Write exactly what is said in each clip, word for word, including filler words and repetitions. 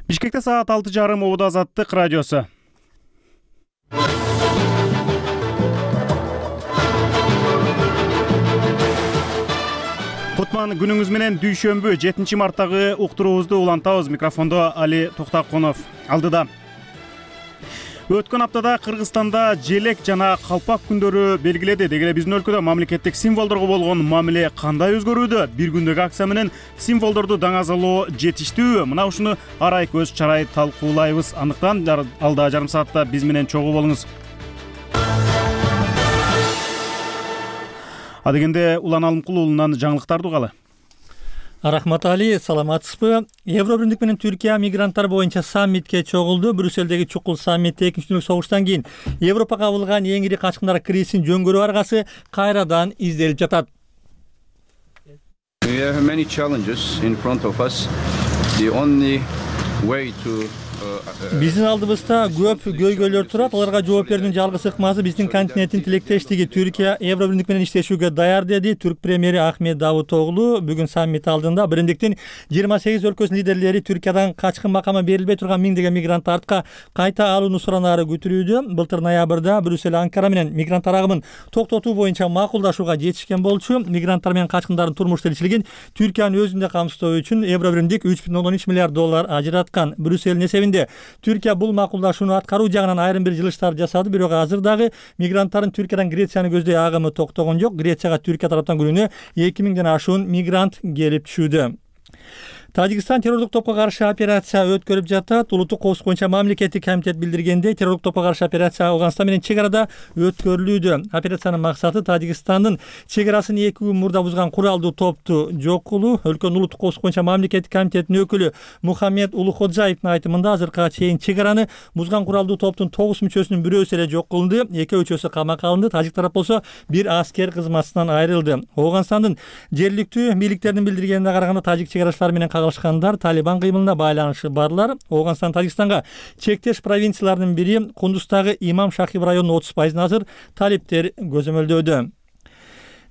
Бишкекте саат алты жарым Убуд Азаттык радиосу. Кутман күнүңүз менен дүйшөмбү жетинчи марттагы уктуруубузду улантабыз. Микрофондо Али Токтакунов. Алдыда. Өткөн аптада Кыргызстанда желек жана калпак күндөрү белгиледи. Деги эле биздин өлкөдө мамлекеттик символдорго болгон мамиле кандай өзгөрүүдө? Бир күндөгү акция менен символдорду даңазалоо жетиштүүбү? Мына ушуну арай көз чарай талкуулайбыз. Андыктан алда жарым саатта биз менен чогуу болуңуз. Адегенде Улан Алымкул уулунан жаңылыктарды угалы. Рахмат Али, саламатсызбы? Евробирлик менен Түркия мигранттар боюнча саммитке чогулду. Брюссельдеги чукул саммитте экинчи дүнөлүк согуштан кийин Европага кабылган эң ири качкындар кризисин жөнгөрүү аргасы кайрадан изделип жатат. We have many challenges in front of us. The only way to Биздин алдыбызда көп көйгөйлөр турат. Аларга жооп берүүнүн жалгыз ыкмасы биздин континенттин тилектештиги. Түркия Евробирлик менен иштешүүгө даяр, деди Түрк премьери Ахмет Давутоглу бүгүн саммит алдында. Бириндиктин жыйырма сегиз өлкөсүнүн лидерлери Түркиядан качкын макамы берилбей турган миңдеген мигрантты артка кайта алууну суранаары күтүрүүдө. Былтыр ноябрда Брюссель Анкара менен мигрант арагымын токтотуу боюнча макулдашууга жетишкен болчу. Мигранттар менен качкындардын турмуш тиричилигин Түркиянын өзүндө камсыздоо үчүн Евробирлик үч бүтүн ондон үч миллиард доллар ажыраткан. Брюссельдин эсебинде Түркия бул макулдашууну аткаруу жагынан айрым бир жылыштар жасады, бирок азыр дагы мигранттардын Түркиядан Грецияны көздөй агымы токтогон жок. Грецияга Түркия тараптан күнүнө эки миңден ашуун мигрант келип түшүүдө. Тажикстан террорлук топко каршы операция өткөрүп жатат. Улуттук коопсуздук боюнча мамлекеттик комитет билдиргендей, террорлук топко каршы операция Афганистан менен чек арада өткөрүлүүдө. Операциянын максаты Тажикстандын чек арасын эки күн мурда бузган куралдуу топту жок кылуу. Өлкөнүн улуттук коопсуздук боюнча мамлекеттик комитетинин өкүлү Мухаммед Улуходжаевдин айтымында азыркыга чейин чек араны бузган куралдуу топтун тогуз мүчөсүнүн бирөөсү эле жок кылынды, эки үчөөсү камакка алынды. Тажик тарап болсо бир аскер кызматынан айрылды. Афганистандын жергиликтүү бийликтеринин билдиргенине караганда тажик чек арачылары менен кагылышкандар Талибан кыймылына байланышы барлар. Афганистан Тажикстанга чектеш провинцияларынын бири Кундуздагы Имам Шахиб районунун отуз пайызын азыр талиптер көзөмөлдөөдө.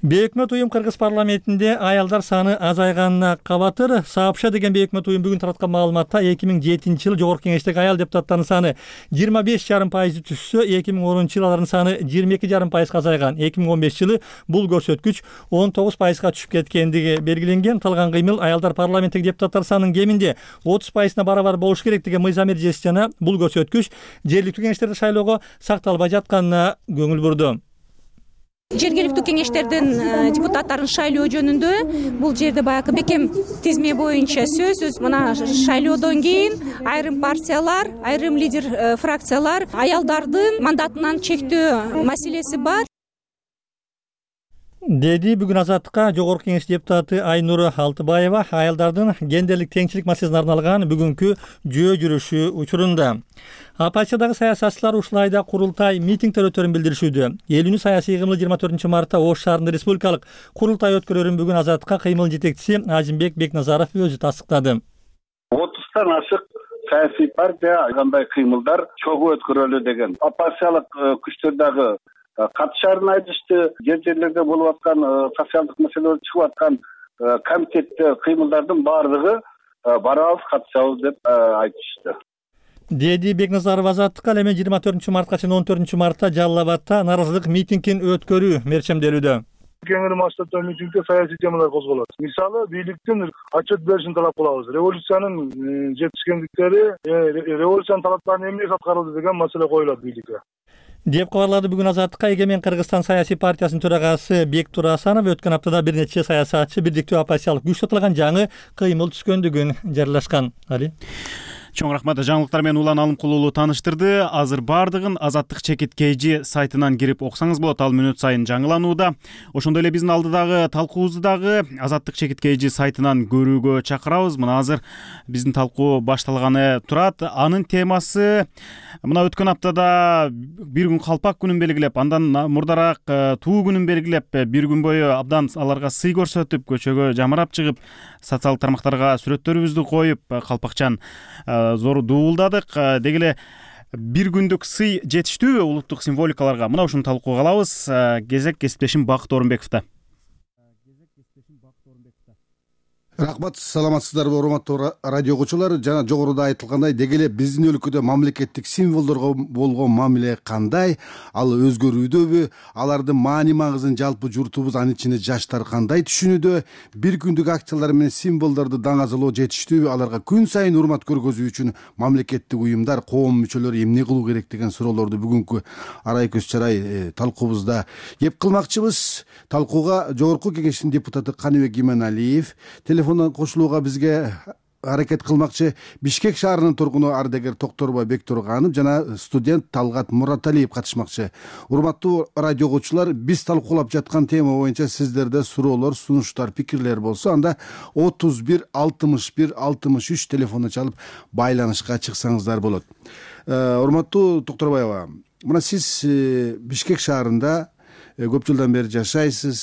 Бейөкмөт уюм Кыргыз парламентинде аялдар саны азайганына кабатыр. Саапша деген бейөкмөт уюм бүгүн тараткан маалыматта эки миң жетинчи жылы жогорку кеңештеги аял депутаттардын саны жыйырма беш жарым пайызды түшсө, эки миң онунчу жылы алардын саны жыйырма эки жарым пайызга азайган. эки миң он бешинчи жылы бул көрсөткүч он тогуз пайызга түшүп кеткендиги белгиленген. Талган кыймыл аялдар парламенттеги депутаттар санынын кеминде отуз пайызына барабар болуш керек деген мыйзам эрежеси жана бул көрсөткүч жергиликтүү кеңештерди шайлоого сакталбай жатканына көңүл бурду. Жергиликтүү кеңештердин депутаттарын шайлоо жөнүндө бул жерде баягы бекем тизме боюнча сөзсүз мына шайлоодон кийин айрым партиялар, айрым лидер фракциялар аялдардын мандатынан чектөө маселеси бар, деди бүгүн Азаттыкка жогорку кеңеш депутаты Айнура Алтыбаева аялдардын гендерлик теңчилик маселесине арналган бүгүнкү жөө жүрүшү учурунда. Оппозициядагы саясатчылар ушул айда курултай митингдер өтөрүн билдиришүүдө. Элүүнү саясий кыймыл жыйырма төртүнчү мартта Ош шаарында республикалык курултай өткөрөрүн бүгүн Азаттыкка кыймылдын жетекчиси Азимбек Бекназаров өзү тастыктады. отуздан ашык саясий партия кандай кыймылдар чогуу өткөрөлү деген. Оппозициялык күчтөр дагы катышарын айтышты. Жер жерлерде болуп аткан социалдык маселелер чыгып аткан комитетте кыймылдардын баардыгы барабыз, катышабыз деп айтышты. Деди Бекназаров Азаттыкка. Ал эми жыйырма төртүнчү мартка чейин он төртүнчү мартта Жалал Абадта наразылык митингин өткөрүү мерчемделүүдө. Кеңири масштабтагы митингде саясий темалар козголот. Мисалы, бийликтин отчет беришин талап кылабыз. Революциянын жетишкендиктери, революциянын талаптарын эмне аткарылды деген маселе коюлат бийликке, деп кабарлады бүгүн Азаттыкка Эгемен Кыргызстан саясий партиясынын төрагасы Бектур Асанов. Өткөн аптада бир нече саясатчы бирдиктүү оппозициялык күч сатылган жаңы кыймыл түшкөндүгүн жарыяшкан. Али Чоң рахмат. Жаңылыктар менен Улан Алымкул уулу тааныштырды. Азыр бардыгын Азаттык чекит kg сайтынан кирип окусаңыз болот. Ал мүнөт сайын жаңыланууда. Ошондой эле биздин алдыдагы талкуубузду дагы Азаттык чекит kg сайтынан көрүүгө чакырабыз. Мына азыр биздин талкуу башталганы турат. Анын темасы мына өткөн аптада бир күн калпак күнүн белгилеп, андан мурдараак туу күнүн белгилеп, бир күн бою абдан аларга сый көрсөтүп, көчөгө жамырап чыгып, социалдык тармактарга сүрөттөрүбүздү коюп, калпакчан зор дуулдадык. Деги эле бир күндүк сый жетиштүүбү улуттук символикаларга? Мына ушуну талкууга алабыз. Кезек кесиптешим Бакыт Орунбековдо. Рахмат, саламатсыздарбы урматтуу радио угуучулар. Жана жогоруда айтылгандай, деги эле биздин өлкөдө мамлекеттик символдорго болгон мамиле кандай, ал өзгөрүүдөбү, алардын маани магызын жалпы журтубуз, анын ичинде жаштар кандай түшүнүүдө, бир күндүк акциялар менен символдорду даңазалоо жетиштүүбү, аларга күн сайын урмат көргөзүү үчүн мамлекеттик уюмдар, коом мүчөлөрү эмне кылуу керек деген суроолорду бүгүнкү арай көз чарай талкуубузда кеп кылмакчыбыз. Талкууга жогорку кеңештин депутаты Каныбек Иманалиев телефондон кошулууга бизге аракет кылмакчы. Бишкек шаарынын тургуну ардагер Токторбай Бектурганов жана студент Талгат Мураталиев катышмакчы. Урматтуу радио угуучулар, биз талкуулап жаткан тема боюнча сиздерде суроолор, сунуштар, пикирлер болсо, анда отуз бир алтымыш бир алтымыш үч телефону чалып байланышка чыксаңыздар болот. Урматтуу Токторбаева, мына сиз Бишкек шаарында көп жылдан бери жашайсыз.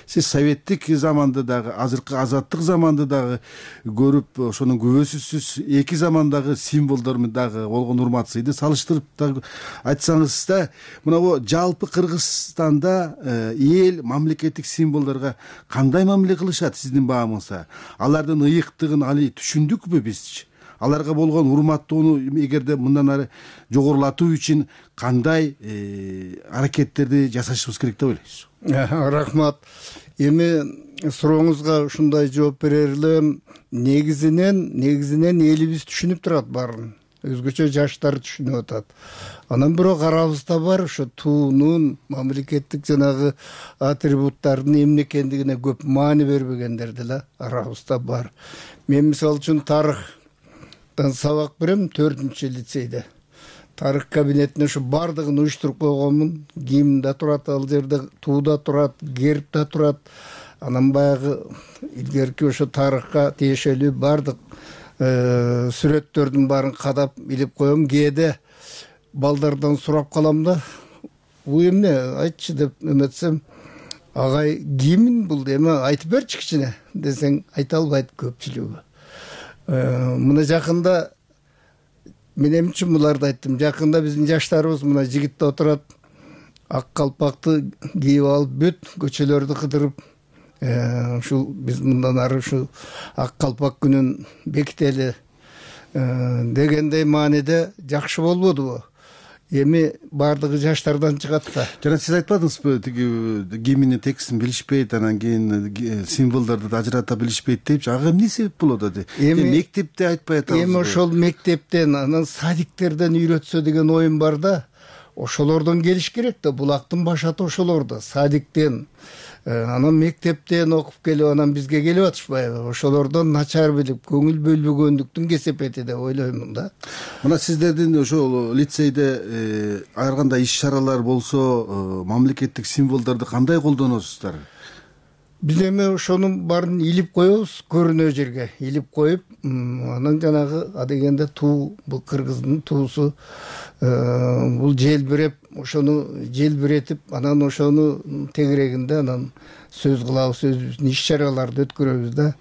Сиз советтик заманды дагы, азыркы азаттык заманды дагы көрүп, ошонун күбөсүсүз. Эки замандагы символдор дагы болгон урмат сыйды салыштырып дагы айтсаңыз да, мына бу жалпы Кыргызстанда эл мамлекеттик символдорго кандай мамиле кылышат сиздин баамыңызда? Алардын ыйыктыгын али түшүндүкпү бизчи? Аларга болгон урматтоону эгерде мындан ары жогорулатуу үчүн кандай аракеттерди жасашыбыз керек деп ойлойсуз? Рахмат. Эми сурооңузга ушундай жооп берер элем. Негизинен, негизинен элибиз түшүнүп турат баарын. Өзгөчө жаштар түшүнүп атат. Анан бирок арабызда бар ошо туунун, мамлекеттик жанагы атрибуттардын эмне экендигине көп маани бербегендер деле арабызда бар. Мен мисалы үчүн тарых сабак берем төртүнчү лицейде. Тарых кабинетине ушу бардыгын уюштуруп койгонмун. Гимн да турат ал жерде, туу да турат, герб да турат. Анан баягы илгерки ошо тарыхка тиешелүү бардык сүрөттөрдүн баарын кадап илип коем. Кээде балдардан сурап калам да, бул эмне айтчы деп эметсем, агай гимн бул эме айтып берчи кичине десең айта албайт көпчүлүгү. Мына жакында мен эмне үчүн буларды айттым? Жакында биздин жаштарыбыз мына жигитте отурат, ак калпакты кийип алып бүт көчөлөрдү кыдырып, ушул биз мындан ары ушу ак калпак күнүн бекители дегендей мааниде жакшы болбодубу? Эми бардыгы жаштардан чыгат да. Жана сиз айтпадыңызбы, тиги гимндин текстин билишпейт, анан кийин символдорду ажырата билишпейт депчи. Ага эмне себеп болот ады? Эми мектепте айтпай атабыз. Эми ошол мектептен, анан садиктерден үйрөтсө деген оюм бар да. Ошолордон келиш керек да, булактын башаты ошолордо, садиктен. Анан мектептен окуп келип, анан бизге келип атышпайбы? Ошолордон начар билип, көңүл бөлбөгөндүктүн кесепети деп ойлоймун да. Мына сиздердин ошол лицейде ар кандай иш-чаралар болсо, мамлекеттик символдорду кандай колдоносуздар? Биз эми ошонун баарын илип коебуз, көрүнө жерге илип коюп, анан жанагы адегенде туу, бул кыргыздын туусу, бул желбиреп, ошону желбиретип, анан ошону тегерегинде анан сөз кылабыз, өзүбүздүн иш-чараларды өткөрөбүз да.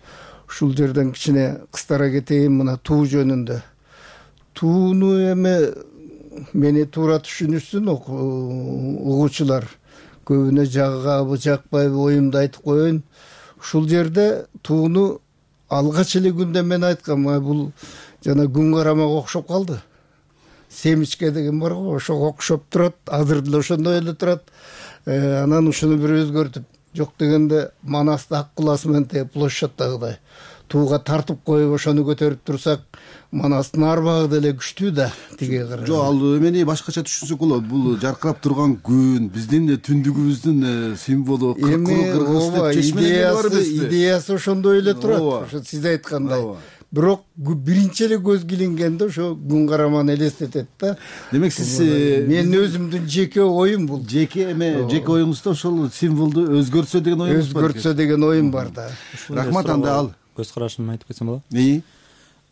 Ушул жерден кичине кыстара кетейин мына туу жөнүндө. Тууну эми мени туура түшүнүшсүн угуучулар. Көбүнө жагабы, жакпайбы оюмду айтып коеюн. Ушул жерде тууну алгач эле күндө мен айткам, бул жана күн карамага окшоп калды. Семичке деген бар го, ошого окшоп турат, азыр деле ошондой эле турат. Анан ушуну бир өзгөртүп, жок дегенде Манасты ак куласы менен тег площадьтагыдай тууга тартып коюп ошону көтөрүп турсак, Манастын арбагы деле күчтүү да тиге карай. Жок, ал эмени башкача түшүнсөк болот. Бул жаркырап турган күн, биздин түндүгүбүздүн символу, кыргыз деп чечмелер бар эмеспи? Идеясы ошондой эле турат. Ошо сиз айткандай. Бирок биринчи эле көзгө илингенде ошо күн караманы элестетет да. Демек сиз менин өзүмдүн жеке оюм бул. Жеке эме, жеке оюңузда ошол символду өзгөртсө деген оюңуз бар. Өзгөртсө деген оюм бар да. Рахмат, анда ал көз карашымды айтып кетсем болобу? Ии.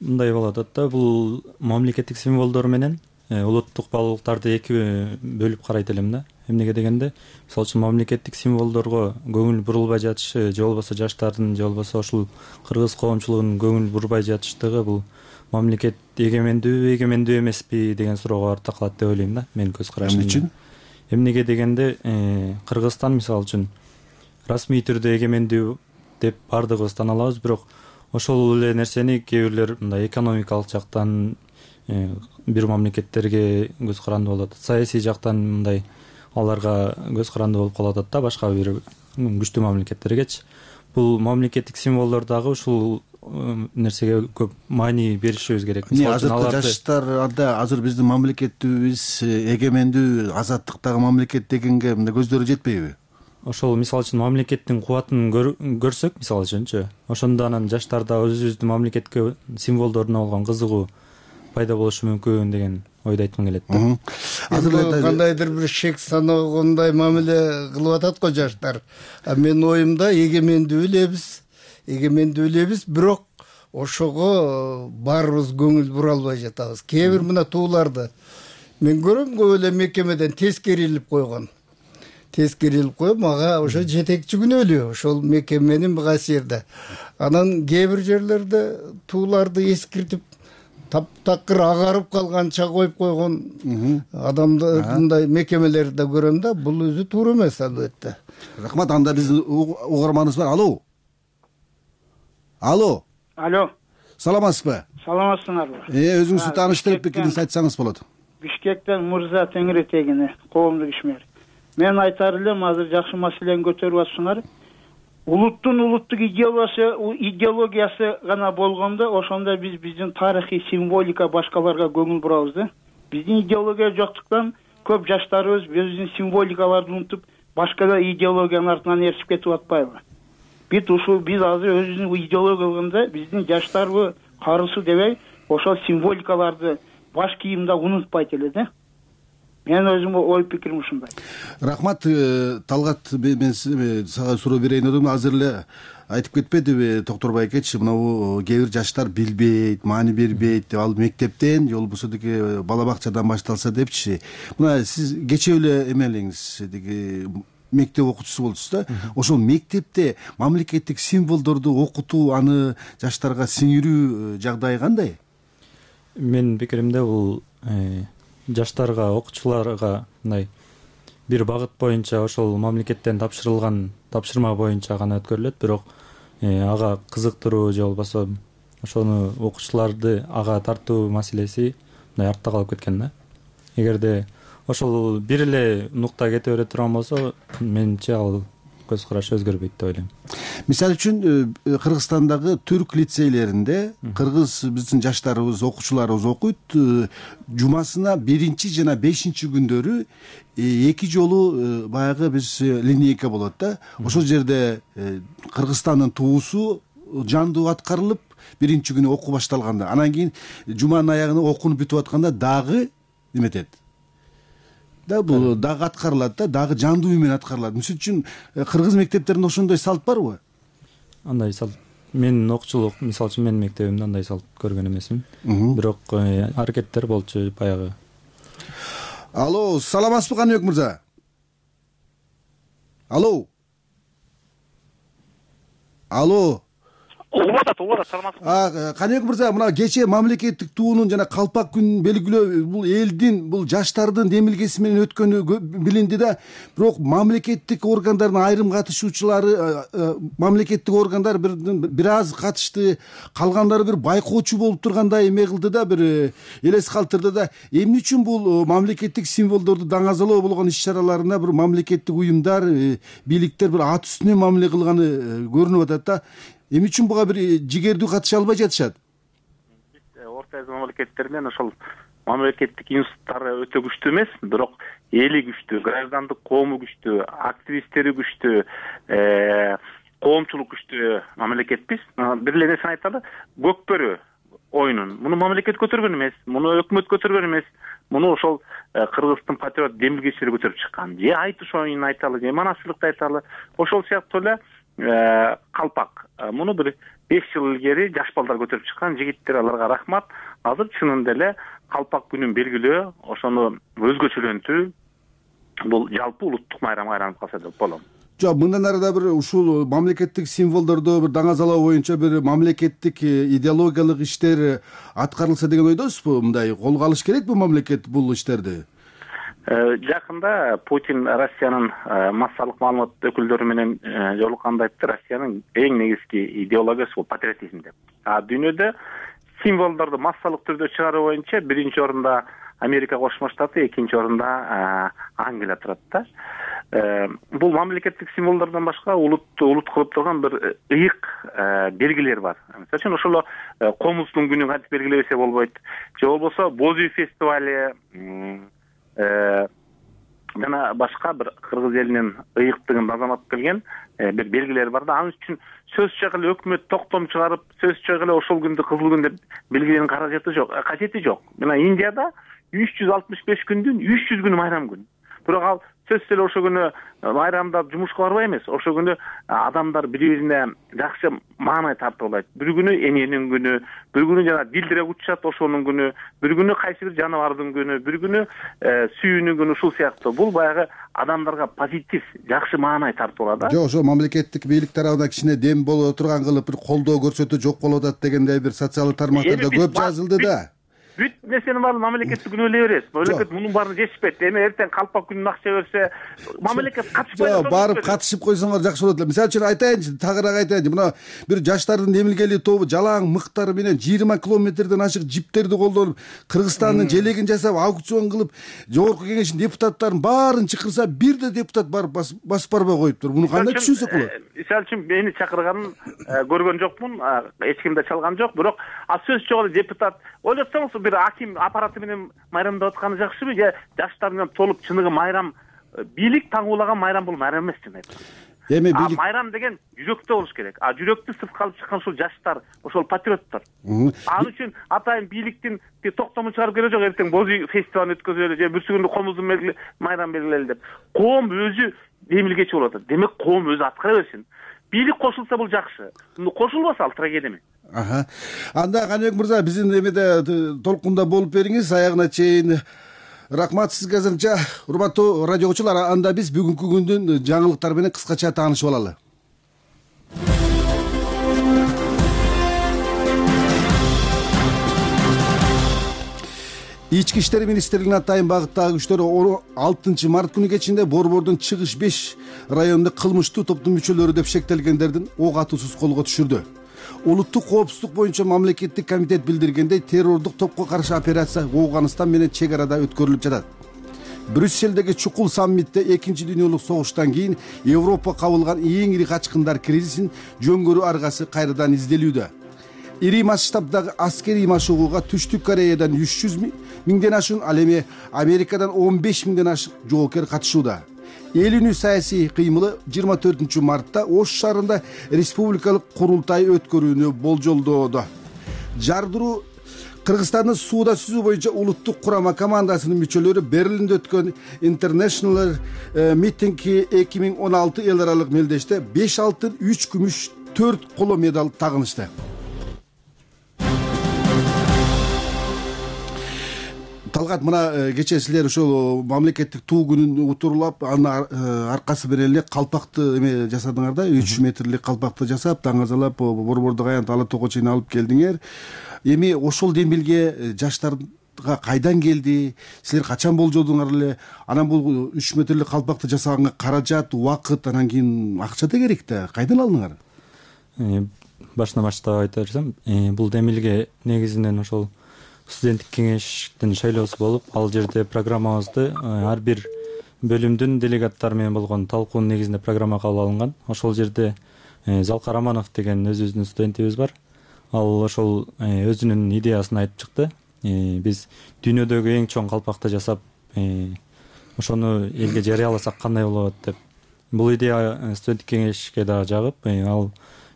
Мындай болот да, бул мамлекеттик символдор менен улуттук баалуулуктарды эки бөлүп карайт элем да. Эмнеге дегенде, мисалы үчүн мамлекеттик символдорго көңүл бурулбай жатышы, же болбосо жаштардын, же болбосо ушул кыргыз коомчулугунун көңүл бурбай жатыштыгы бул мамлекет эгемендүүбү, эгемендүү эмеспи деген суроого барып такалат деп ойлойм да, менин көз карашым. Эмне үчүн? Эмнеге дегенде, Кыргызстан мисалы үчүн расмий түрдө эгемендүү деп бардыгыбыз tan алабыз, бирок ошол эле нерсени кээ бирлер мындай экономикалык жактан бир мамлекеттерге көз каранды болуп атат, саясий жактан мындай аларга көз каранды болуп калып атат да башка бир күчтүү мамлекеттергечи. Бул мамлекеттик символдор дагы ушул нерсеге көп маани беришибиз керек. Азыркы жаштарда азыр биздин мамлекетибиз эгемендүү, азаттыктагы мамлекет дегенге мындай көздөрү жетпейби? Ошол мисалы үчүн мамлекеттин кубатын көрсөк, мисалы үчүнчү, ошондо анан жаштарда өзүбүздүн мамлекетке символдоруна болгон кызыгуу пайда болушу мүмкүн деген ойду айткым келет да. Азыр кандайдыр бир шек санагандай мамиле кылып атат го жаштар. А менин оюмда эгемендүү элебиз, эгемендүү элебиз, бирок ошого баарыбыз көңүл бура албай жатабыз. Кээ бир мына тууларды мен көрөм, көп эле мекемеден тескерилип койгон. Тескерилип коюп, мага ошо жетекчи күнөөлүү, ошол мекеменин касиерде. Анан кээ бир жерлерде тууларды эскиртип таптакыр агарып калганча коюп койгон адамды мындай мекемелерди көрөм да, бул өзү туура эмес албетте. Рахмат, анда биздин угарманыбыз бар. Алло. Алло. Алло. Саламатсызбы? Саламатсыңарбы? Э, өзүңүздү тааныштырып пикириңизди айтсаңыз болот. Бишкектен Мырза Теңиретегини, коомдук ишмер. Мен айтар элем, азыр жакшы маселени көтөрүп атсыңар. Улуттун улуттук идеологиясы, идеологиясы гана болгондо, ошондо биз биздин тарыхый символика башкаларга көңүл бурабыз да. Биздин идеология жоктуктан көп жаштарыбыз биздин символикаларды унутуп, башка да идеологиянын артынан ээрчип кетип атпайбы? Бит ушул биз азыр өзүбүздүн идеологиябызда биздин жаштарбы, карысы дебей, ошол символикаларды баш кийимде унутпайт эле да. Мен өзүм ой пикирим ушундай. Рахмат, Талгат, мен сага суроо берейин дедим. Азыр эле айтып кетпедиби Токторбай экечи, мына кээ бир жаштар билбейт, маани бербейт деп, ал мектептен же болбосо деги бала бакчадан башталса депчи. Мына сиз кечээ эле эмелиңиз, деги мектеп окуучусу болчусуз да. Ошол мектепте мамлекеттик символдорду окутуу, аны жаштарга сиңирүү жагдайы кандай? Менин пикиримде бул жаштарга, окуучуларга мындай бир багыт боюнча ошол мамлекеттен тапшырылган тапшырма боюнча гана өткөрүлөт, бирок ага кызыктыруу же болбосо ошону окуучуларды ага тартуу маселеси мындай артта калып кеткен да. Эгерде ошол бир эле нукта кете бере турган болсо, менимче ал көз караш өзгөрбөйт деп ойлойм. Мисалы үчүн Кыргызстандагы түрк лицейлеринде кыргыз биздин жаштарыбыз, окуучуларыбыз окуйт. Жумасына биринчи жана бешинчи күндөрү эки жолу баягы биз линейка болот да. Ошол жерде Кыргызстандын туусу жандуу аткарылып, биринчи күнү окуу башталганда, анан кийин жуманын аягына окууну бүтүп атканда дагы эметет да, бул дагы аткарылат да, дагы жандуу үй менен аткарылат. Мисалы үчүн кыргыз мектептеринде ошондой салт барбы? Андай салт менин окуучулук, мисалы үчүн менин мектебимде андай салт көргөн эмесмин. Бирок аракеттер болчу баягы. Алло, саламатсызбы Каныбек мырза? Алло. Алло. Угуп атат, угуп атат, саламатсызбы? А, Каныбек мырза, мына кечээ мамлекеттик туунун жана калпак күнүн белгилөө бул элдин, бул жаштардын демилгеси менен өткөнү билинди да. Бирок мамлекеттик органдардын айрым катышуучулары, мамлекеттик органдар бир аз катышты, калгандары бир байкоочу болуп тургандай эме кылды да, бир элес калтырды да. Эмне үчүн бул мамлекеттик символдорду даңазалоо болгон иш-чараларына бир мамлекеттик уюмдар, бийликтер бир ат үстүнөн мамиле кылганы көрүнүп атат да. Эмне үчүн буга бир жигердүү катыша албай жатышат? Орто Азия мамлекеттеринен ошол мамлекеттик институттары өтө күчтүү эмес, бирок эли күчтүү, граждандык коому күчтүү, активисттери күчтүү, коомчулук күчтүү мамлекетпиз. Бир эле нерсени айталы, көкбөрү оюнун муну мамлекет көтөргөн эмес, муну өкмөт көтөргөн эмес, муну ошол кыргыздын патриот демилгечилери көтөрүп чыккан. Же айтыш оюнун айталы, же манасчылыкты айталы, ошол сыяктуу эле калпак. Муну бир беш жыл илгери жаш балдар көтөрүп чыккан, жигиттер, аларга рахмат. Азыр чынында эле калпак күнүн белгилөө, ошону өзгөчөлөнтүү бул жалпы улуттук майрамга айланып калса деп болом. Жок, мындан ары да бир ушул мамлекеттик символдорду бир даңазалоо боюнча бир мамлекеттик идеологиялык иштер аткарылса деген ойдосузбу? Мындай колго алыш керекпи мамлекет бул иштерди? Жакында Путин Россиянын массалык маалымат өкүлдөрү менен жолукканда айтты, Россиянын эң негизги идеологиясы бул патриотизм деп. А дүйнөдө символдорду массалык түрдө чыгаруу боюнча биринчи орунда Америка Кошмо Штаты, экинчи орунда Англия турат да. Бул мамлекеттик символдордон башка улутты улут кылып турган бир ыйык белгилер бар. Мисалы үчүн ошол комуздун күнүн кантип белгилебесе болбойт. Же болбосо боз үй фестивали жана башка бир кыргыз элинин ыйыктыгын базамап келген бир белгилер бар да. Ал үчүн сөз чыгып эле өкмөт токтом чыгарып, сөз чыгып эле ошол күндү кызыл күн деп белгилеүүнүн каражаты жок, кажети жок. Мына Индияда үч жүз алтымыш беш күндүн үч жүз күнү майрам күн. Бирок ал сөзсүз эле ошол күнү майрамдап жумушка барбай эмес. Ошол күнү адамдар бири-бирине жакшы маанай тартып алат. Бир күнү эненин күнү, бир күнү жана дилдирек учат ошонун күнү, бир күнү кайсы бир жаныбардын күнү, бир күнү сүйүүнүн күнү, ушул сыяктуу. Бул баягы адамдарга позитив, жакшы маанай тартып алат да. Жок, ошо мамлекеттик бийлик тарабынан кичине дем боло турган кылып бир колдоо көрсөтүү жок болуп атат дегендей бир социалдык тармактарда көп жазылды да. Бүт нерсенин баарын мамлекетти күнөөлөй беребиз. Мамлекет мунун баарын жешпейт. Эми эртең калпак күнүн акча берсе, мамлекет катышпай турат. Барып катышып койсоңор жакшы болот эле. Мисалы үчүн айтайынчы, тагыраак айтайынчы. Мына бир жаштардын демилгелүү тобу жалаң мыктары менен жыйырма километрден ашык жиптерди колдонуп, Кыргызстандын желегин жасап, аукцион кылып, жогорку кеңештин депутаттарын баарын чакырса, бир да депутат барып басып барбай коюптур. Муну кандай түшүнсөк болот? Мисалы үчүн мени чакырганын көргөн жокмун, эч ким да чалган жок, бирок а сөз жок эле депутат. Ойлотсоңуз бир аким аппараты менен майрамдап атканы жакшыбы же жаштар менен толуп чыныгы майрам, бийлик таңуулаган майрам бул майрам эмес чын айтканда. Эми бийлик майрам деген жүрөктө болуш керек. А жүрөктү сыртка алып чыккан ушул жаштар, ошол патриоттор. Ал үчүн атайын бийликтин токтомун чыгарып келе жок, эртең боз үй фестивалын өткөзөлү же бүрсү күндү комуздун белгили майрам белгилели деп. Коом өзү демилгечи болуп атат. Демек коом өзү аткара берсин. Бийлик кошулса бул жакшы. Кошулбаса ал трагедия. Аха. Анда Каныбек мырза, биздин эмеде толкунда болуп бериңиз аягына чейин. Рахмат сизге азырынча. Урматтуу радио окуучулар, анда биз бүгүнкү күндүн жаңылыктары менен кыскача таанышып алалы. Ички иштер министрлигинин атайын багыттагы күчтөрү алтынчы март күнү кечинде Борбордун чыгыш беш районунда кылмыштуу топтун мүчөлөрү деп шектелгендердин ок атуусуз колго түшүрдү. Улуттук коопсуздук боюнча мамлекеттик комитет билдиргендей, террордук топко каршы операция Афганистан менен чек арада өткөрүлүп жатат. Брюсселдеги чукул саммитте экинчи дүйнөлүк согуштан кийин Европа кабылган эң ири качкындар кризисин жөнгөрүү аргасы кайрадан изделүүдө. Ири масштабдагы аскерий машыгууга Түштүк Кореядан үч жүз миңден ашуун, ал эми Америкадан он беш миңден ашык жоокер катышууда. Эл үнү саясий кыймылы жыйырма төртүнчү мартта Ош шаарында республикалык курултай өткөрүүнү болжолдоодо. Жардыруу Кыргызстандын сууда сүзүү боюнча улуттук курама командасынын мүчөлөрү Берлинде өткөн International Meeting эки миң он алты эл аралык мелдеште беш алтын, үч күмүш, төрт коло медаль тагынышты. Талгат, мына кечээ силер ошол мамлекеттик туу күнүн утурлап, анын аркасы менен эле калпакты эме жасадыңар да, үч метрлик калпакты жасап, таңазалап, борбордук аянт Ала тоого чейин алып келдиңер. Эми ошол демилге жаштарга кайдан келди? Силер качан болжодуңар эле? Анан бул үч метрлик калпакты жасаганга каражат, убакыт, анан кийин акча да керек да. Кайдан алдыңар? Башынан баштап айта берсем, бул демилге негизинен ошол студенттик кеңештин шайлоосу болуп, ал жерде программабызды ар бир бөлүмдүн делегаттары менен болгон талкуунун негизинде программа кабыл алынган. Ошол жерде Залкар Раманов деген өзүбүздүн студентибиз бар. Ал ошол өзүнүн идеясын айтып чыкты. Биз дүйнөдөгү эң чоң калпакты жасап, ошону элге жарыяласак кандай болот деп. Бул идея студенттик кеңешке да жагып, ал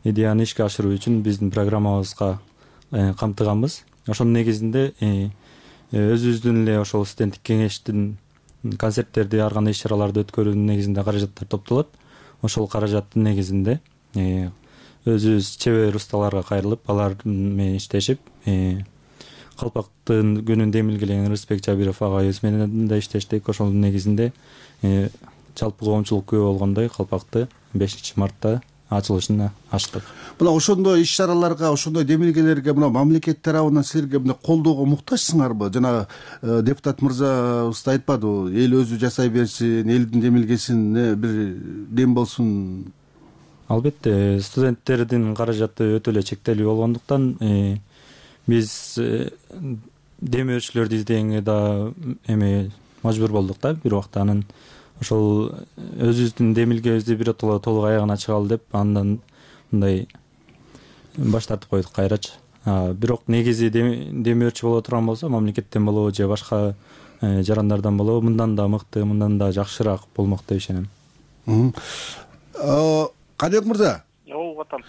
идеяны ишке ашыруу үчүн биздин программабызга камтыганбыз. Ошонун негизинде өзүбүздүн эле ошол студенттик кеңештин концерттерди, ар кандай иш-чараларды өткөрүүнүн негизинде каражаттар топтолот. Ошол каражаттын негизинде өзүбүз чебер усталарга кайрылып, алар менен иштешип, калпактын күнүн демилгелеген Рысбек Жабиров агайыбыз менен да иштештик. Ошонун негизинде жалпы коомчулук күбө болгондой калпакты бешинчи мартта ачылышын ачтык. Мына ошондой иш чараларга, ошондой демилгелерге мына мамлекет тарабынан силерге мына колдоого муктажсыңарбы? Жана депутат мырзабыз да айтпадыбы, эл өзү жасай берсин, элдин демилгесине бир дем болсун. Албетте, студенттердин каражаты өтө эле чектелүү болгондуктан биз демөөчүлөрдү издегенге да эми мажбур болдук да бир убакта. Анан ошол өзүбүздүн демилгебизди биротоло толук аягына чыгалы деп андан мындай баш тартып койдук кайрачы. Бирок негизи демөөрчү боло турган болсо, мамлекеттен болобу же башка жарандардан болобу, мындан да мыкты, мындан да жакшыраак болмок деп ишенем. Кадыбек мырза. Ооба атам.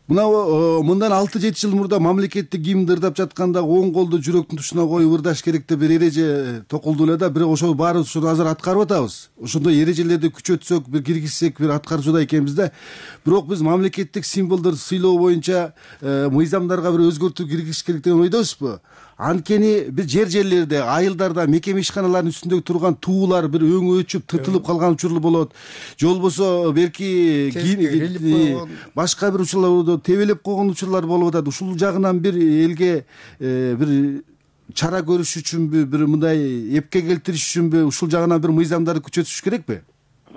Мына мындан алты жети жыл мурда мамлекеттик гимнди ырдап жатканда оң колду жүрөктүн тушуна коюп ырдаш керек деп бир эреже токулду эле да, бирок ошол баарыбыз ушуну азыр аткарып атабыз. Ошондой эрежелерди күчөтсөк, бир киргизсек, бир аткарчуда экенбиз да. Бирок биз мамлекеттик символдорду сыйлоо боюнча мыйзамдарга бир өзгөртүү киргизиш керек деген ойдобузбу? Анткени бир жер жерлерде, айылдарда, мекеме ишканаларынын үстүндө турган туулар бир өңү өчүп, тытылып калган учурлар болот. Же болбосо белки башка бир учурларда тебелеп койгон учурлар болуп атат. Ушул жагынан бир элге бир чара көрүш үчүнбү, бир мындай эпке келтириш үчүнбү ушул жагынан бир мыйзамдарды күчөтүш керекпи?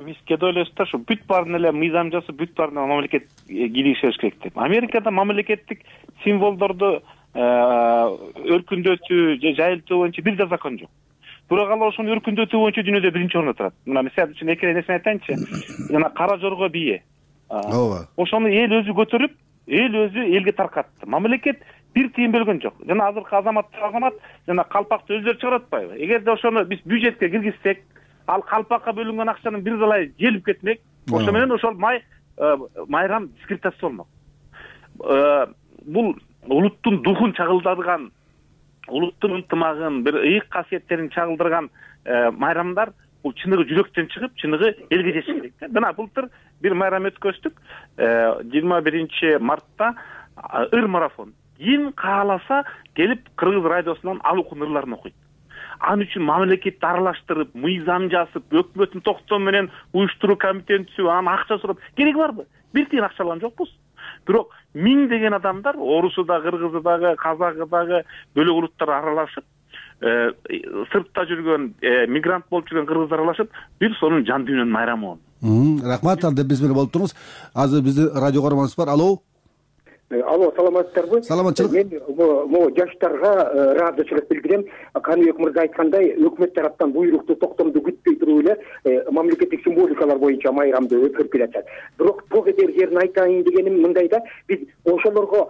Биз кеде ойлойбуз да, ушу бүт баарын эле мыйзам жасап, бүт баарына мамлекет киргизиш керек деп. Америкада мамлекеттик символдорду өркүндөтүү же жайылтуу боюнча бир да закон жок. Бирок алар ошону өркүндөтүү боюнча дүйнөдө биринчи орунда турат. Мына мисалы үчүн эки нерсени айтайынчы. Жана кара жорго бие. Ооба. Ошону эл өзү көтөрүп, эл өзү элге таркатты. Мамлекет бир тыйын бөлгөн жок. Жана азыркы азаматтар азамат жана калпакты өздөрү чыгарып атпайбы? Эгерде ошону биз бюджетке киргизсек, ал калпакка бөлүнгөн акчанын бир далай желип кетмек, ошо менен ошол май майрам дискредитация болмок. Бул улуттун духун чагылдырган, улуттун ынтымагын, бир ыйык касиеттерин чагылдырган майрамдар бул чыныгы жүрөктөн чыгып, чыныгы элге жетиш керек. Мына былтыр бир майрам өткөздүк. жыйырма биринчи мартта ыр марафон. Ким кааласа келип Кыргыз радиосунан алукун ырларын окуйт. Ан үчүн мамлекетти аралаштырып, мыйзам жазып, өкмөттүн токтоо менен уюштуруу комитетин түзүп, анан акча сурап кереги барбы? Бир тыйын акча алган жокпуз. Бирок миң деген адамдар, орусу да, кыргызы дагы, казагы дагы, бөлөк улуттар аралашып, сыртта жүргөн, мигрант болуп жүргөн кыргыздар аралашып, бир сонун жан дүйнөнүн майрамы болду. Рахмат, анда биз менен болуп туруңуз. Азыр биздин радио көрөрманыбыз бар. Алло. Алло, саламатсыздарбы? Саламатчылык. Мен могу жаштарга ыраазычылык билдирем. Каныбек мырза айткандай, өкмөт тараптан буйрукту, токтомду күтпөй туруп эле мамлекеттик символикалар боюнча майрамды өткөрүп келатат. Бирок тоо кетер жерин айтайын дегеним мындай да, биз ошолорго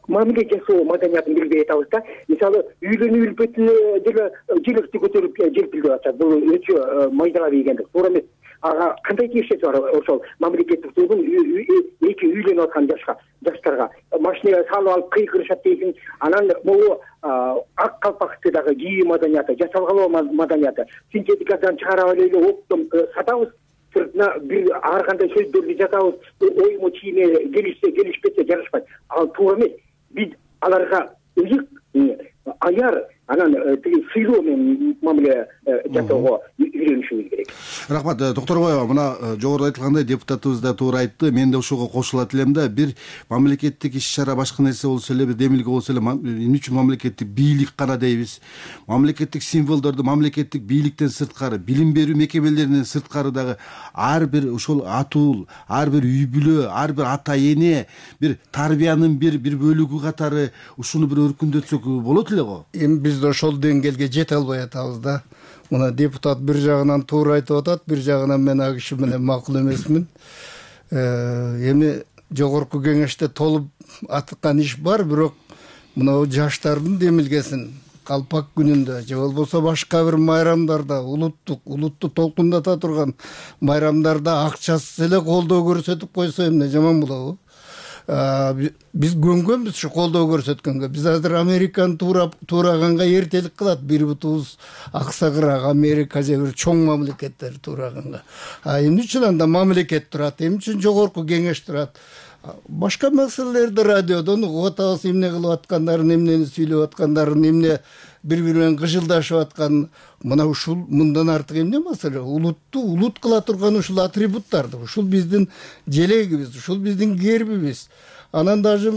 мамиле жасоо маданиятын билбей атабыз да. Мисалы, үйлөнүү үлпөтүнө деле желекти көтөрүп желпилдеп атат. Бул өчө майдалап ийгендик. Туура эмес. Ага кандай тиешеси бар ошол мамлекеттик тугун эки үйлөнүп аткан жашка жаштарга машинага салып алып кыйкырышат дейсиң. Анан могу ак калпакты дагы кийүү маданияты, жасалгалоо маданияты, синтетикадан чыгарып эле оптом сатабыз. Сыртына бир ар кандай сөздөрдү жазабыз, оюму чийиме келишсе келишпесе жарашпайт. Ал туура эмес. Биз аларга ыйык аяр анан тиги сыйлоо менен мамиле жасоого үйрөнүшүбүз керек. Рахмат, Токторбаева, мына жогоруда айтылгандай депутатыбыз да туура айтты. Мен да ошого кошулат элем да, бир мамлекеттик иш-чара башка нерсе болсо эле, бир демилге болсо эле, эмне үчүн мамлекеттик бийлик гана дейбиз? Мамлекеттик символдорду мамлекеттик бийликтен сырткары, билим берүү мекемелеринен сырткары дагы ар бир ошол атул, ар бир үй бүлө, ар бир ата эне, бир тарбиянын бир бир бөлүгү катары ушуну бир өркүндөтсөк болот эле го. Эми биз да ошол деңгээлге жете албай атабыз да. Мына депутат бир жагынан туура айтып атат, бир жагынан мен ал киши менен макул эмесмин. Эми жогорку кеңеште толуп аткан иш бар, бирок мына жаштардын демилгесин калпак күнүндө же болбосо башка бир майрамдарда, улуттук, улутту толкундата турган майрамдарда акчасыз эле колдоо көрсөтүп койсо эмне жаман болобу? Биз көнгөнбүз ушу колдоо көрсөткөнгө. Биз азыр Американы туураганга эртелик кылат. Бир бутубуз аксагыраак Америка же бир чоң мамлекеттер туураганга. А эмне үчүн анда мамлекет турат? Эмне үчүн жогорку кеңеш турат? башка маселелерди радиодон угуп атабыз, эмне кылып аткандарын, эмнени сүйлөп аткандарын, эмне бири бири менен кыжылдашып аткан. Мына ушул мындан артык эмне маселе? Улутту улут кыла турган ушул атрибуттарды, ушул биздин желегибиз, ушул биздин гербибиз. Анан даже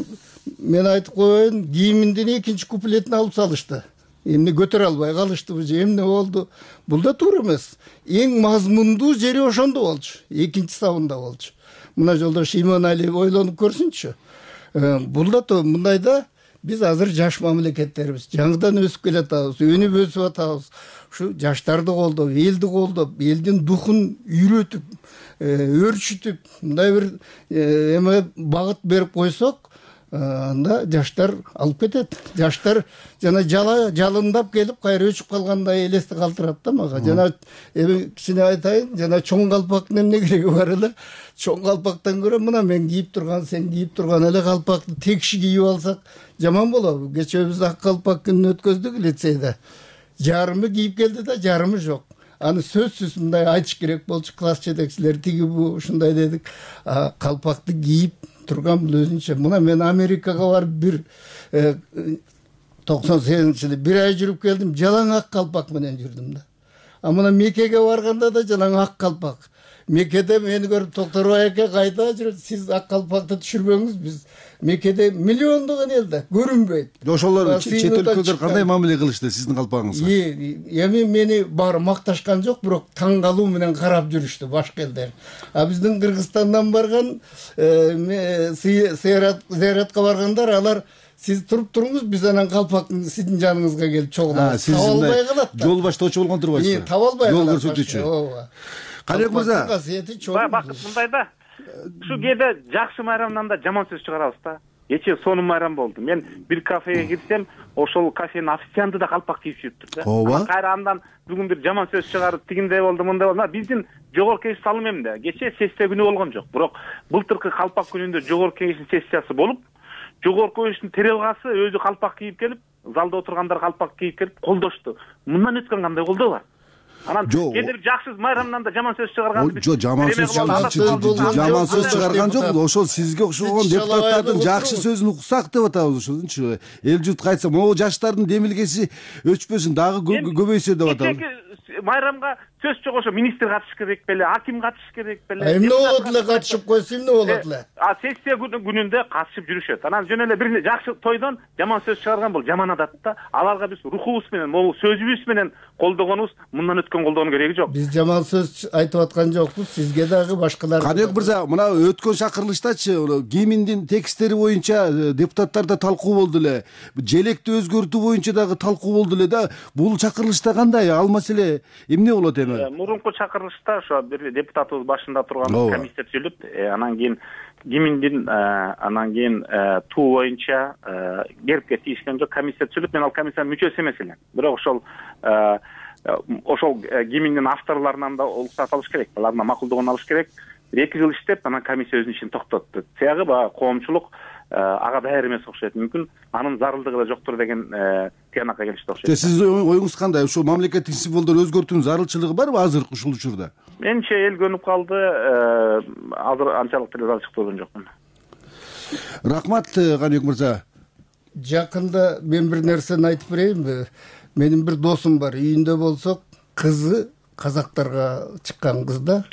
мен айтып коеюн, гимндин экинчи куплетин алып салышты. Эмне көтөрө албай калыштыбы же эмне болду? Бул да туура эмес. Эң мазмундуу жери ошондо болчу, экинчи сабында болчу. Мына жолдош Иманалиев ойлонуп көрсүнчү. Бул да мындайда биз азыр жаш мамлекеттербиз, жаңыдан өсүп келатабыз, өнүп өсүп атабыз. Ушу жаштарды колдоп, элди колдоп, элдин духун үйрөтүп, өөрчүтүп, мындай бир эме багыт берип койсок, анда жаштар алып кетет. Жаштар жана жала жалындап келип кайра өчүп калгандай элести калтырат да мага. Жана эми кичине айтайын, жана чоң калпактын эмне кереги бар эле? Чоң калпактан көрө мына мен кийип турган, сен кийип турган эле калпакты тек киши кийип алсак жаман болобу? Кечээ биз ак калпак күнүн өткөздүк лицейде. Жарымы кийип келди да, жарымы жок. Аны сөзсүз мындай айтыш керек болчу, класс жетекчилери тиги бу ушундай дедик. Калпакты кийип турган бул өзүнчө. Мына мен Америкага барып бир токсон сегизинчи жылы бир ай жүрүп келдим, жалаң ак калпак менен жүрдүм да. А мына Меккеге барганда да жалаң ак калпак. Меккеде мени көрүп Токторбай аке кайда жүрөт? Сиз ак калпакты түшүрбөңүз, биз Меккеде миллиондогон элде көрүнбөйт. Ошолор чет өлкөлөр кандай мамиле кылышты сиздин калпагыңызга? Эми мени баары макташкан жок, бирок таң калуу менен карап жүрүштү башка элдер. А биздин Кыргызстандан барган зыяратка баргандар, алар сиз туруп туруңуз, биз анан калпактын сиздин жаныңызга келип чогулабыз. Таба албай калат да. Жол баштоочу болгон турбайсызбы? Таба албай калат. Жол көрсөтүүчү. ооба. Каныбек мырза, бакыт мындай да. Ушу кээде жакшы майрамдан да жаман сөз чыгарабыз да. Кечээ сонун майрам болду. Мен бир кафеге кирсем, ошол кафенин официанты да калпак кийип жүрүптүр да. Ооба. Кайра андан бүгүн бир жаман сөз чыгарып, тигиндей болду, мындай болду. Биздин жогорку кеңеш салым эмне? Кечээ сессия күнү болгон жок. Бирок былтыркы калпак күнүндө жогорку кеңештин сессиясы болуп, жогорку кеңештин төралгасы өзү калпак кийип келип, залда отургандар калпак кийип келип колдошту. Мындан өткөн кандай колдоо бар? Анан кээде жакшы майрамдан да жаман сөз чыгарганды жок, жаман сөз жаман сөз чыгарган жок. Ошол сизге окшогон депутаттардын жакшы сөзүн уксак деп атабыз ошончу. Эл журт кайтса, могу жаштардын демилгеси өчпөсүн, дагы көбөйсө деп атабыз. Майрамга сөз жок, ошо министр катыш керек беле, аким катыш керек беле. Эмне болот эле катышып койсо эмне болот эле? А сессия күнүндө катышып жүрүшөт. Анан жөн эле бир жакшы тойдон жаман сөз чыгарган бул жаман адат да. Аларга биз рухубуз менен, могу сөзүбүз менен колдогонубуз мындан өткөн колдоонун кереги жок. Биз жаман сөз айтып аткан жокпуз, сизге дагы башкалар. Каныбек мырза, мына өткөн чакырылыштачы гимндин текстери боюнча депутаттарда талкуу болду эле. Желекти өзгөртүү боюнча дагы талкуу болду эле да. Бул чакырылышта кандай? Ал маселе эмне болот эми? Мурунку чакырылышта ошо бир депутатыбыз башында турган комиссия түзүлүп, анан кийин гимндин анан кийин туу боюнча гербке тийишкен жок комиссия түзүлүп, мен ал комиссиянын мүчөсү эмес элем. Бирок ошол ошол гимндин авторлорунан да уруксат алыш керек, алардан макулдугун алыш керек. Бир эки жыл иштеп, анан комиссия өзүнүн ишин токтотту. Тиягы баягы коомчулук ага даяр эмес окшойт. Мүмкүн анын зарылдыгы да жоктур деген тыянакка келишти окшойт. Сиздин оюңуз кандай? Ушул мамлекеттик символдорду өзгөртүүнүн зарылчылыгы барбы азыр ушул учурда? Менимче эл көнүп калды, азыр анчалык деле зарылчык болгон жокмун. Рахмат, Каныбек мырза. Жакында мен бир нерсени айтып берейинби? Менин бир досум бар, үйүндө болсок, кызы казактарга чыккан кыз да,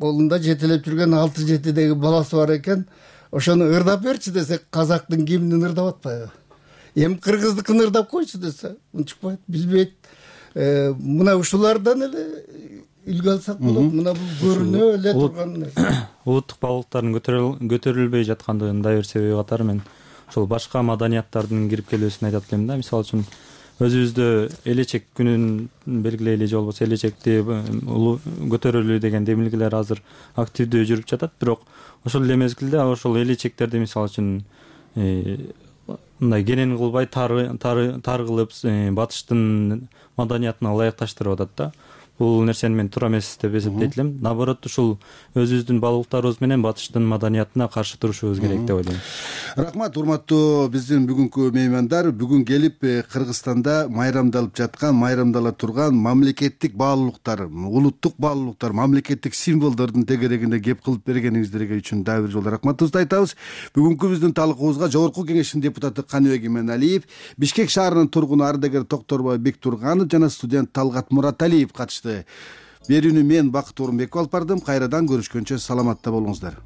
колунда жетелеп жүргөн алты жетидеги баласы бар экен. Ошону ырдап берчи десек, казактын гимнин ырдап атпайбы? Эми кыргыздыкын ырдап койчу десе, унчукпайт, билбейт. Мына ушулардан эле үлгү алсак болот. Мына бул көрүнө эле турган нерсе. Улуттук баалыктардын көтөрүлбөй жаткандыгынын дагы бир себеби катары мен ошол башка маданияттардын кирип келүүсүн айтат элем да. Мисалы үчүн өзүбүздө элечек күнүн белгилейли же болбосо элечекти көтөрөлүү деген демилгелер азыр активдүү жүрүп жатат. Бирок ошол эле мезгилде ошол элечектерди мисалы үчүн мындай кенен кылбай тар кылып батыштын маданиятына ылайыкташтырып атат да. бул нерсени мен туура эмес деп эсептейт элем. Наоборот, ушул өзүбүздүн баалуулуктарыбыз менен батыштын маданиятына каршы турушубуз керек деп ойлойм. Рахмат, урматтуу биздин бүгүнкү меймандар. Бүгүн келип Кыргызстанда майрамдалып жаткан, майрамдала турган мамлекеттик баалуулуктар, улуттук баалуулуктар, мамлекеттик символдордун тегерегинде кеп кылып бергениңиздерге үчүн дагы бир жолу рахматыбызды айтабыз. Бүгүнкү биздин талкуубузга Жогорку Кеңештин депутаты Каныбек Именалиев, Бишкек шаарынын тургуну ардагер Токторбай Бектурганов жана студент Талгат Мураталиев катышты. Берүүнү мен Бакыт Орунбеков алып бардым. Кайрадан көрүшкөнчө саламатта болуңуздар.